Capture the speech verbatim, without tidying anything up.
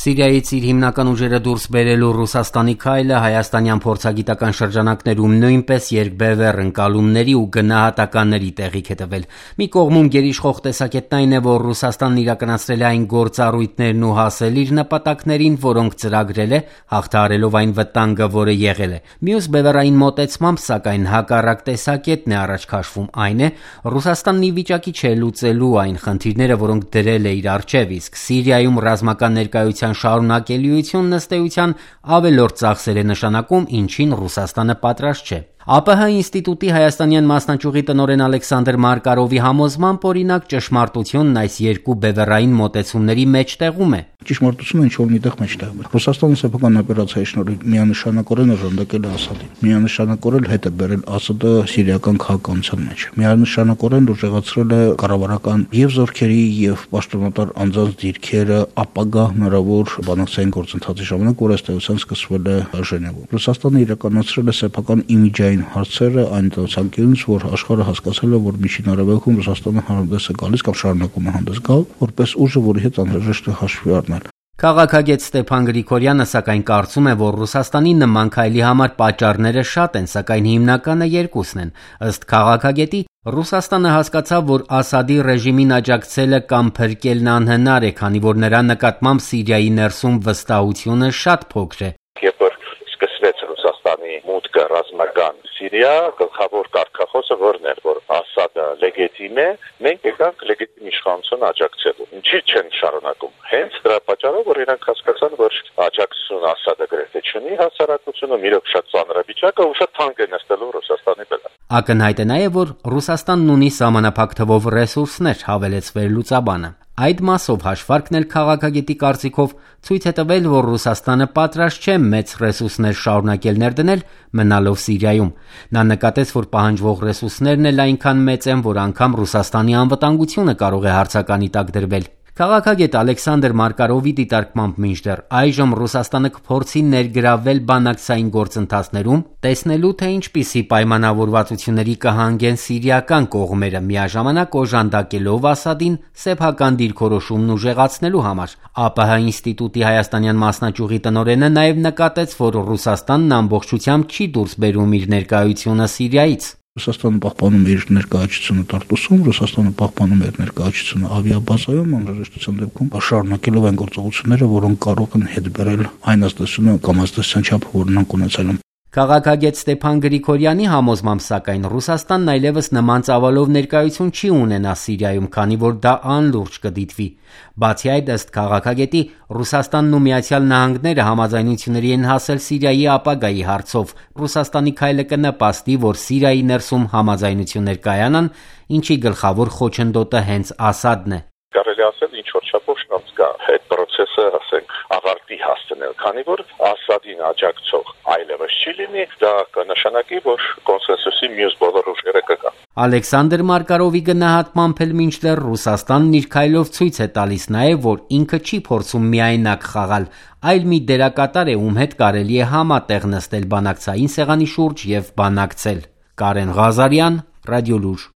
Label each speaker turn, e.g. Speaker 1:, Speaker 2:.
Speaker 1: Սիրիայից իր հիմնական ուժերը դուրս բերելու Ռուսաստանի քայլը հայաստանյան փորձագիտական շրջանակներում նույնպես երկբևեռ ընկալումների ու գնահատականների տեղիք է տվել։ Մի կողմում գերիշխող տեսակետն այն է, որ Ռուսաստանն իրականացրել է այն գործառույթներն ու հասել իր նպատակներին, որոնք ծրագրել է, հաղթահարելով այն վտանգը, որը եղել է։ Մյուս բևեռային մոտեցմամբ, սակայն, հակառակ տեսակետն է առաջ քաշվում, այն է, Ռուսաստանն ի վիճակի չէ լուծելու այն խնդիրները, որոնք դրել է իր առջև, իսկ Սիրիայում ռազմական ներկայության շարունակելիությունն ըստ էության ավելորդ ծախսեր է նշանակում, ինչին Ռուսաստանը պատրաստ չէ։ ԱՊՀ ինստիտուտի հայաստանյան մասնաճյուղի տնօրեն Ալեքսանդր Մարկարովի համոզմամբ, օրինակ, ճշմարտությունն այս երկու բևեռային մոտեցումների մեջտեղում է։
Speaker 2: Ճշմարտությունը ինչ-որ միտեղ մեջտեղում է։ Ռուսաստանը սեփական օպերացիայի շնորհիվ միանշանակորեն օժանդակել է Ասադին, միանշանակորեն հետ է բերել Ասադը սիրիական քաղաքականության մեջ, միանշանակորեն ուժեղացրել է կառավարական եւ զորքերի եւ պաշտոնատար անձանց դիրքերը ապագա հնարավոր բանակցային գործընթացի ժամանակ, որ ըստ էության սկսվել է Ժնևում։ Ռուսաստանը իրականացրել է սեփական իմիջային հարցերը այն ցանկությունից, որ աշխարհը հասկացել է, որ Միջին Արևելքում Ռուսաստանը հանդես է գալիս կամ շարունակում է հանդես գալ, որպես ուժը, որի հետ անհրաժեշտ է հաշվի առնել։
Speaker 1: Քաղաքագետ Ստեփան Գրիգորյանը սակայն կարծում է, որ Ռուսաստանի նման քայլի համար պատճառները շատ են, սակայն հիմնականը երկուսն են։ Ըստ քաղաքագետի, Ռուսաստանը հասկացավ, որ Ասադի ռեժիմին աջակցելը կամ փրկելն անհնար է, քանի որ նրա նկատմամբ Սիրիայի ներսում վստահությունը շատ փոքր է։
Speaker 3: Երբ որ սկսվեց Ռուսաստանի մուտքը ռազմական Սիրիա, գլխավոր կարգախոսը որն էր, որ Ասադը լեգիտիմ է, մենք եկանք լեգիտիմ իշխանություն աջակցելու։ Ինչի չեն շարունակում։ Հենց դրա պատճառով, որ իրանք հասկացան, որ աջակցություն Ասադը գրեթե չունի հասարակությունում, իրոք շատ ծանրավիճակը ու շատ թանկ է նստելու Ռուսաստանի վրա։
Speaker 1: Ակնհայտ է նաև, որ Ռուսաստանն ունի սահմանափակ թվով ռեսուրսներ, հավելեց վերլուծաբանը։ Այդ մասով հաշվարկն էլ քաղաքագետի կարծիքով ցույց է տվել, որ Ռուսաստանը պատրաստ չէ մեծ ռեսուրսներ շարունակել ներդնել, մնալով Սիրիայում։ Նա նկատեց, որ պահանջվող ռեսուրսներն էլ այնքան մեծ են, որ անգամ Ռուսաստանի անվտանգությունը կարող է հարցականի տակ դրվել։ Քաղաքագետ Ալեքսանդր Մարկարովի դիտարկմամբ մինչդեռ այժմ Ռուսաստանը կփորձի ներգրավել բանակցային գործընթացներում, տեսնելու թե ինչպիսի պայմանավորվածությունների կհանգեն սիրիական կողմերը, միաժամանակ օժանդակելով Ասադին սեփական դիրքորոշումն ուժեղացնելու համար։ ԱՊՀ ինստիտուտի հայաստանյան մասնաճյուղի տնօրենը նաև նկատեց, որ Ռուսաստանն ամբողջությամբ չի դուրս բերում իր ներկայությունը Սիրիայից։
Speaker 2: Ռուսաստանը պահպանում է իր ներկայացությունը Տարտուսում, Ռուսաստանը պահպանում է իր ներկայացությունը ավիաբազայում, անհրաժեշտության դեպքում շարունակելով այն գործողությունները, որոնք կարող են հետ բերել այն ազդեցությունը կամ ազդեցության չափը, որ նրանք ունեցել են։
Speaker 1: Քաղաքագետ Ստեփան Գրիգորյանի համոզմամբ, սակայն, Ռուսաստանն այլևս նման ծավալով ներկայություն չի ունենա Սիրիայում, քանի որ դա անլուրջ կդիտվի։ Բացի այդ, ըստ քաղաքագետի, Ռուսաստանն ու Միացյալ Նահանգները համաձայնությունների են հասել Սիրիայի ապագայի հարցով։ Ռուսաստանի քայլը կնպաստի, որ Սիրիայի ներսում համաձայնություններ կայանան, ինչի գլխավոր խոչընդոտը հենց Ասադն է։
Speaker 3: Կարելի ասել ինչ որ չափով շանս կա այդ process-ը, ասենք, ավարտի հասցնել, քանի որ Ասադին աջակցող այլևս չի լինի, դա կնշանակի, որ կոնսենսուսի մյուս բոլոր ուժերը կգան։
Speaker 1: Ալեքսանդր Մարկարովի գնահատմամբ էլ մինչդեռ Ռուսաստանն իր քայլով ցույց է տալիս նաև, որ ինքը չի փորձում միայնակ խաղալ, այլ մի դերակատար է, ում հետ կարելի է համատեղ նստել բանակցային սեղանի շուրջ եւ բանակցել։ Կարեն Ղազարյան, Ռադիոլուր։